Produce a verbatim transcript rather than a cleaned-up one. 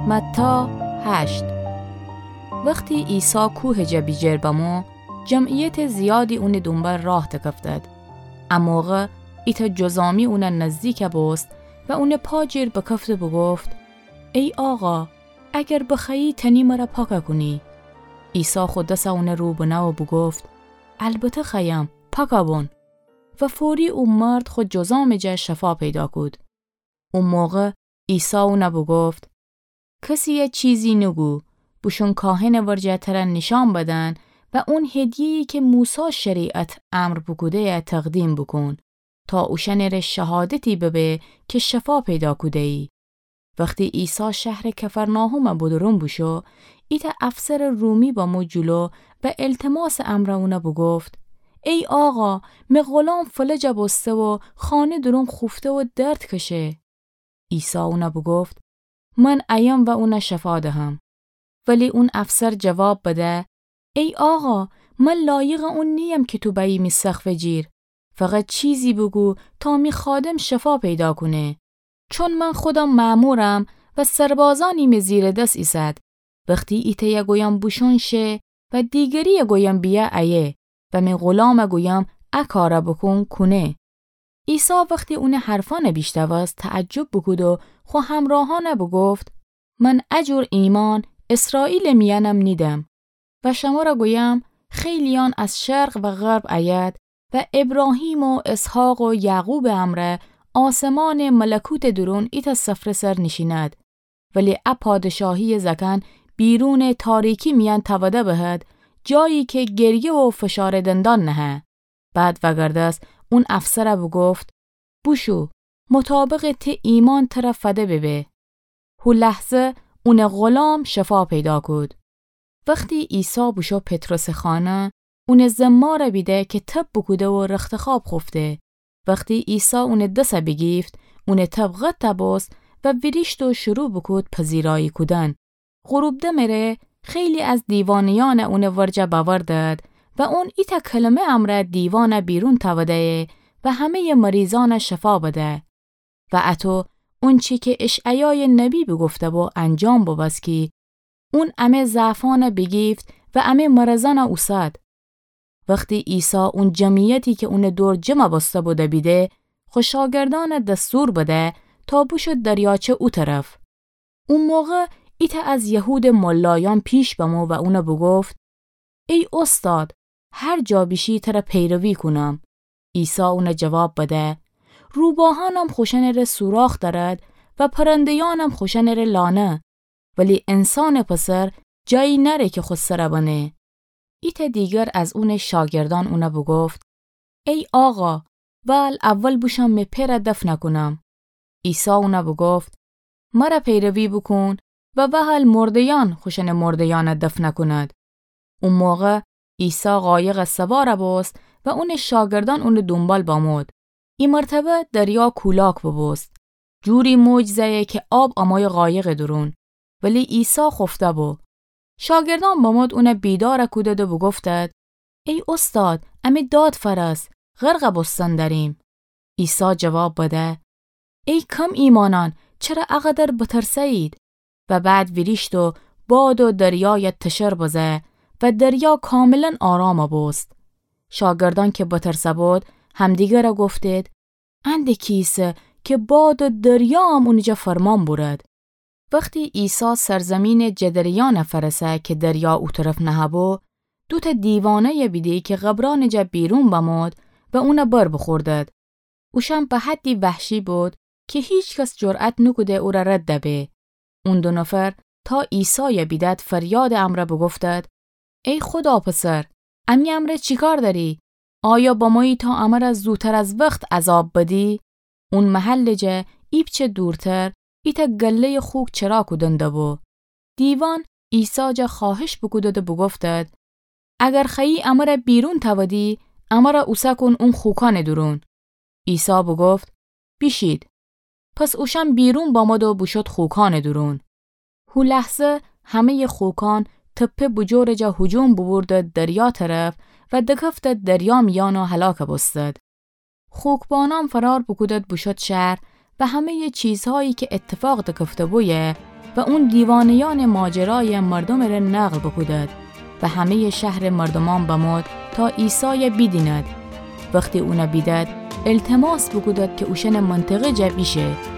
متی هشت. وختی عیسی کوهٚ جا بیجیر بمو، جمعیتٚ زیادی اونٚ دونبال راه دکفتد. ا موقع ایتأ جذامی اونٚ نزدیک بوست و اونٚ پا جیر بکفت و بوگفت: ای آقا، اگر بخوأیی تأنی مر پاک کونی. عیسی خو دس اونٚ رو بنه و بوگفت: البته خوأیم، پاک بون. و فوری او مرد خو جذامٚ جا شفا پیدا کود. او موقع عیسی اون بوگفت: کسیی چیزی نوگو، بوشون کاهنٚ ورجه تر نیشأن بدن و اون هدیه‌یی که موسی شریعت امر بوکوده‌یی تقدیم بوکون، تا اوشأنٚره شهادتی ببه که شفا پیدا کوده‌یی. وختی عیسی شهرٚ کفرناحوم بودورون بوشو، ایتأ افسرٚ رومی بمو جلو و التماسٚ امر اون بوگفت: ای آقا، می غلام فلج بوسته و خانه دورون خوفته و درد کشه. عیسی اون بوگفت: من ایم و اون شفا دهم. ولی اون افسر جواب بده: ای آقا، من لایقٚ اون نییم که تو بأیی می سقفٚ جیر. فقط چیزی بوگو تا می خادم شفا پیدا کونه. چون من خودم مأمورم و سربازأنی می زیر دس ایسد. وختی ایتأیی گویم بوشون شه و دیگریی گویم بیأ ایه و می غلام گویم ا کار بوکون، کونه. عیسی وختی اونٚ حرفأن بیشنوست، تعجب بوکود و خو همراهأن بوگفت: من ا جور ایمأن اسرائیلٚ میأن نیدم. و شمر گویم، خیلییأن از شرق و غرب ایید و ایبراهیم و اسحاق و یعقوبٚ امرأ آسمانٚ ملکوتٚ دورون ایتأ سفره‌سر نیشیند. ولی ا پادشاهیی زأکأن بیرونٚ تاریکی میأن تأوده بهد، جایی که گریه و فشارٚ دندان نهه. بعد وأگردست اون افسر بوگفت: بوشو، مطابقٚ تی ایمأن تر فده ببه. هو لحظه اونٚ غلام شفا پیدا کود. وختی عیسی بوشو پطرسٚ خانه، اونٚ زمار بیده که تب بوکوده و رختخواب خوفته. وختی عیسی اونٚ دس بیگیفت، اونٚ تب قطع بوست و ویریشت و شروع بوکود پذیرایی کودن. غروب دمٚ ره خیلی از دیوانه‌یأن اونٚ ورجه بأوردد و اون ایتأ کلمه امرأ دیوان بیرون تأوده‌یی و همه‌یٚ مریضأن شفا بده. و اطو اونچی که اشعیایٚ نبی بوگفته بو انجام بوبوست کی اون امه ضعفأن بیگیفت و امه مرضأن اوسد. وختی عیسی اون جمعیتی که اونٚ دور جمع بوسته بو بیده، خو شاگردأن دستور بده تا بوشود دریاچه او طرف. او موقع ایتأ از یهودٚ ملایأن پیش بمو و اون بوگفت: ای اوستاد، هر جا بیشی تر پیروی کونم. عیسی اون جواب بده: روباهأنم خوشأنٚ ره سوراخ دأرد و پرنده‌یأنم خوشأنٚ ره لانه، ولی انسانٚ پسر جایی نأره که خو سر بنه. ایتأ دیگر از اونٚ شاگردأن اون بوگفت: ای آقا، وال اول بوشوم می پئر دفن کونم. عیسی اون بوگفت: مر پیروی بوکون و وهل مرده‌یأن خوشأنٚ مرده‌یأن دفن کونید. او موقع عیسی قایق سوار بوست و اونٚ شاگردأن اونٚ دونبال بمود. ای مرتبه دریا کولاک بوبوست. جوری موج زأیی که آب امویی قایقٚ دورون، ولی عیسی خوفته بو. شاگردأن بمود اون بیدار کودید و بوگفتید: ای اوستاد، امی داد فأرس، غرق بوستن دأریم. عیسی جواب بده: ای کم ایمأنأن، چره اقدر بترسه‌یید؟ و بعد ویریشت و باد و دریای تشر بزه و دریا کاملاً آرام بوست. شاگردأن که بترسه بود، همدیگر گفتید: انده کیسه که باد و دریایم اونٚ جا فرمان بورد. وختی عیسی سرزیمینٚ جدریأن فأرسه که دریا او طرف نهه‌بو، دوتأ دیوانه‌ی بیده که قبرأنٚ جا بیرون بمود و اون بر بوخوردید. اوشأن به حدی وحشی بود که هیکس جرأت نوکوده اورا رد به. اون دو نفر تا عیسای بیدید فریادٚ امرأ بوگفتید: ای خودا پسر، امی امرأ چی کار دأری؟ آیا بمویی تا امر زوتر از وخت عذاب بدی؟ اون محلٚ جا ایپچه دورتر ایتأ گله‌ی خوک چرا کودن دبو. دیوان عیسی جا خوأهش بوکودید و بوگفتید: اگر خوأیی امر بیرون تأودی، امر اوسه کون اون خوکأنٚ دورون. عیسی بوگفت: بیشید. پس اوشأن بیرون بامد و بوشد خوکأنٚ دورون. هو لحظه همه‌یٚ خوکأن تپه بوجورٚ جا هجوم بوبوردید دریا طرف و دکفتید دریا میأن و هلاک بوستید. خوکبانأن فرار بوکودید بوشد شهر و همه‌یٚ چیزهایی که اتفاق دکفته بویه و اون دیوانه‌یأنٚ ماجرایَ مردومٚ ره نقل بوکودد و همه‌یٚ شهرٚ مردومأن بمود تا عیسایَ بیدیند. وختی اونَ بیدد، التماس بوکودد کی اوشأنٚ منطقه جا بیشه